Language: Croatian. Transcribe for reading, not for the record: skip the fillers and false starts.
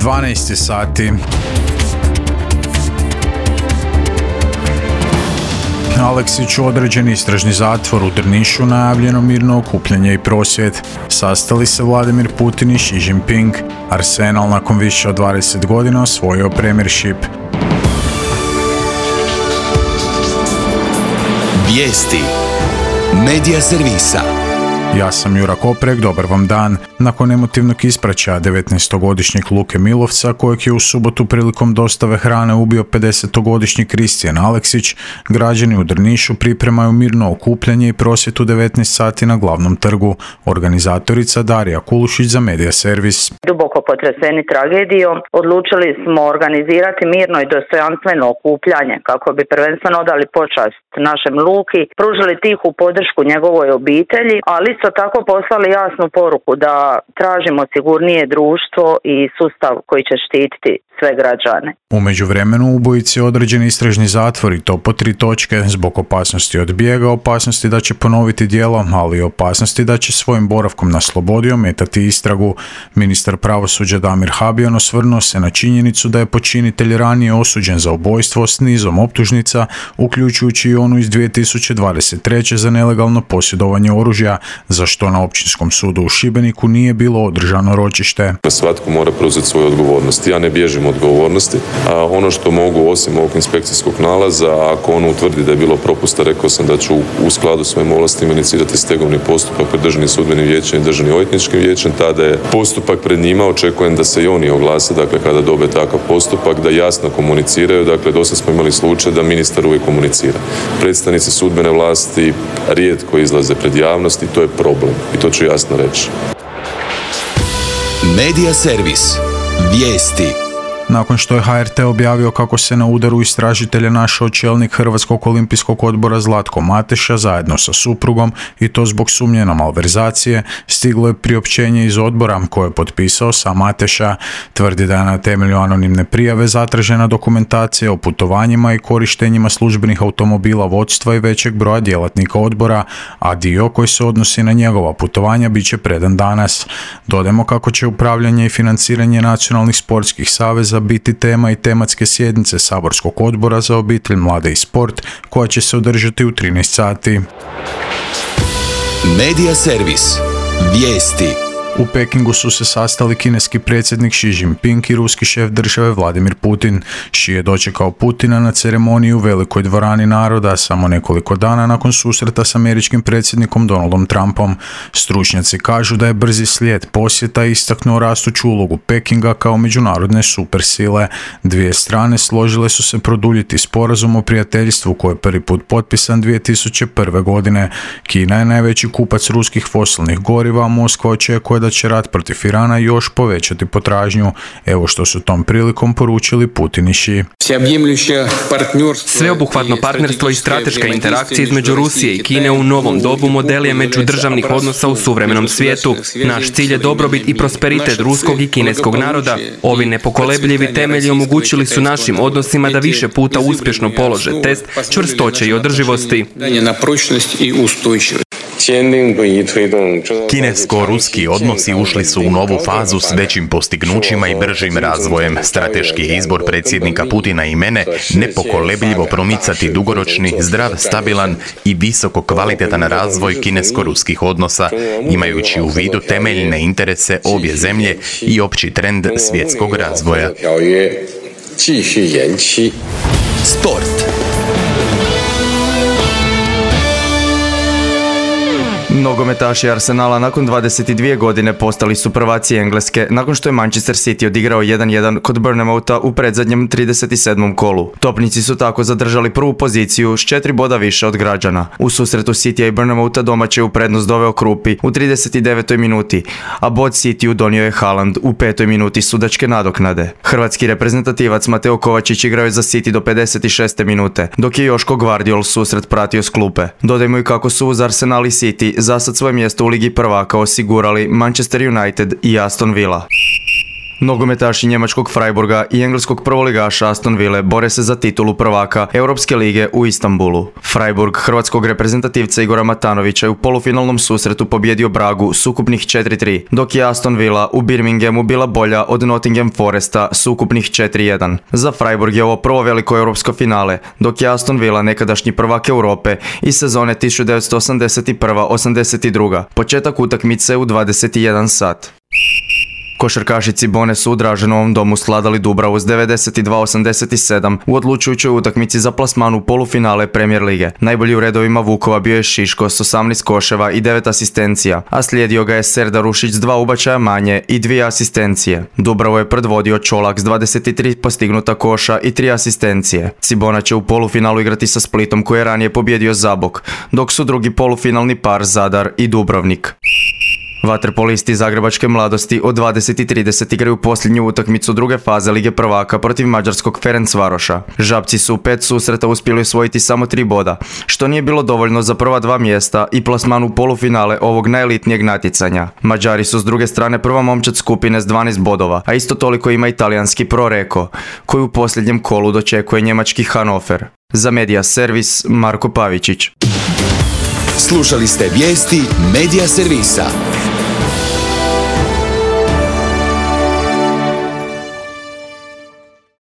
12 sati. Aleksiću određen istražni zatvor, u Drnišu najavljeno mirno okupljanje i prosvjed. Sastali se Vladimir Putin i Xi Jinping. Arsenal nakon više od 20 godina osvojio Premiership. Vijesti Medija servisa. Ja sam Jura Koprek, dobar vam dan. Nakon emotivnog ispraćaja 19-godišnjeg Luke Milovca, kojeg je u subotu prilikom dostave hrane ubio 50-godišnji Kristijan Aleksić, građani u Drnišu pripremaju mirno okupljanje i prosvjed u 19 sati na glavnom trgu. Organizatorica Darija Kulušić za Medija servis. Duboko potreseni tragedijom, odlučili smo organizirati mirno i dostojanstveno okupljanje kako bi prvenstveno odali počast našem Luki, pružili tihu podršku njegovoj obitelji, ali isto tako poslali jasnu poruku da tražimo sigurnije društvo i sustav koji će štititi sve građane. U međuvremenu ubojici određeni istražni zatvor i to po 3 točke zbog opasnosti od bijega, opasnosti da će ponoviti djelo, ali i opasnosti da će svojim boravkom na slobodi ometati istragu. Ministar pravosuđa Damir Habijan osvrnuo se na činjenicu da je počinitelj ranije osuđen za ubojstvo s nizom optužnica, uključujući i onu iz 2023. za nelegalno posjedovanje oružja, za što na Općinskom sudu u Šibeniku nije bilo održano ročište. Svatko mora preuzeti svoju odgovornost. Ja ne bježim od odgovornosti. A ono što mogu, osim ovog inspekcijskog nalaza, ako on utvrdi da je bilo propusta, rekao sam da ću u skladu s svojim ovlastima inicirati stegovni postupak pred Državnim sudbenim vijećem i Državnim odvjetničkim vijećem. Tada je postupak pred njima, očekujem da se i oni oglase, dakle kada dobe takav postupak, da jasno komuniciraju. Dakle, dosad smo imali slučaj da ministar uvijek komunicira. Predstavnici sudbene vlasti rijetko izlaze pred javnost i to je problem. I to ću jasno reći. Medija servis. Vijesti. Nakon što je HRT objavio kako se na udaru istražitelja našao čelnik Hrvatskog olimpijskog odbora Zlatko Mateša zajedno sa suprugom i to zbog sumnje na malverzacije, stiglo je priopćenje iz odbora koje je potpisao sam Mateša. Tvrdi da je na temelju anonimne prijave zatražena dokumentacija o putovanjima i korištenjima službenih automobila vodstva i većeg broja djelatnika odbora, a dio koji se odnosi na njegova putovanja bit će predan danas. Dodajmo kako će upravljanje i financiranje nacionalnih sportskih saveza biti tema i tematske sjednice Saborskog odbora za obitelj, mlade i sport, koja će se održati u 13 sati. Medija servis. Vijesti. U Pekingu su se sastali kineski predsjednik Xi Jinping i ruski šef države Vladimir Putin. Xi je dočekao Putina na ceremoniji u Velikoj dvorani naroda samo nekoliko dana nakon susreta s američkim predsjednikom Donaldom Trumpom. Stručnjaci kažu da je brzi slijed posjeta istaknuo rastuću ulogu Pekinga kao međunarodne supersile. Dvije strane složile su se produljiti sporazum o prijateljstvu koji je prvi put potpisan 2001. godine. Kina je najveći kupac ruskih fosilnih goriva, a Moskva očekuje da će rat protiv Irana još povećati potražnju. Evo što su tom prilikom poručili Putin i Xi. Sveobuhvatno partnerstvo i strateška interakcija između Rusije i Kine u novom dobu model je međudržavnih odnosa u suvremenom svijetu. Naš cilj je dobrobit i prosperitet ruskog i kineskog naroda. Ovi nepokolebljivi temelji omogućili su našim odnosima da više puta uspješno polože test čvrstoće i održivosti. Kinesko-ruski odnosi ušli su u novu fazu s većim postignućima i bržim razvojem. Strateški izbor predsjednika Putina i mene nepokolebljivo promicati dugoročni, zdrav, stabilan i visoko kvalitetan razvoj kinesko-ruskih odnosa, imajući u vidu temeljne interese obje zemlje i opći trend svjetskog razvoja. Sport. Nogometaši Arsenala nakon 22 godine postali su prvaci Engleske nakon što je Manchester City odigrao 1-1 kod Bournemoutha u predzadnjem 37. kolu. Topnici su tako zadržali prvu poziciju s 4 boda više od građana. U susretu Citya i Bournemoutha domaće u prednost doveo Krupi u 39. minuti, a bod Cityu donio je Haaland u 5. minuti sudačke nadoknade. Hrvatski reprezentativac Mateo Kovačić igrao je za City do 56. minute, dok je Joško Gvardiol susret pratio s klupe. Dodajmo i kako su uz Arsenal i City zasad svoje mjesto u Ligi prvaka osigurali Manchester United i Aston Villa. Nogometaši njemačkog Freiburga i engleskog prvoligaša Aston Ville bore se za titulu prvaka Europske lige u Istanbulu. Freiburg hrvatskog reprezentativca Igora Matanovića je u polufinalnom susretu pobjedio Bragu s ukupnih 4-3, dok je Aston Villa u Birminghamu bila bolja od Nottingham Foresta s ukupnih 4-1. Za Freiburg je ovo prvo veliko europsko finale, dok je Aston Villa nekadašnji prvak Europe iz sezone 1981-82. Početak utakmice u 21 sat. Košarkaši Cibone su u Draženovom domu sladali Dubravu s 92-87 u odlučujućoj utakmici za plasman u polufinale Premier lige. Najbolji u redovima Vukova bio je Šiško s 18 koševa i 9 asistencija, a slijedio ga je Serdar Ušić s 2 ubačaja manje i 2 asistencije. Dubravo je predvodio Čolak s 23 postignuta koša i 3 asistencije. Cibona će u polufinalu igrati sa Splitom koji je ranije pobjedio Zabok, dok su drugi polufinalni par Zadar i Dubrovnik. Vaterpolisti Zagrebačke mladosti od 20:30 igraju posljednju utakmicu druge faze Lige prvaka protiv mađarskog Ferencvaroša. Žabci su u 5 susreta uspjeli osvojiti samo 3 boda, što nije bilo dovoljno za prva 2 mjesta i plasman u polufinale ovog najelitnijeg natjecanja. Mađari su s druge strane prva momčad skupine s 12 bodova, a isto toliko ima italijanski Pro Reko, koji u posljednjem kolu dočekuje njemački Hannover. Za Media Servis Marko Pavičić. Slušali ste vijesti Media Servisa.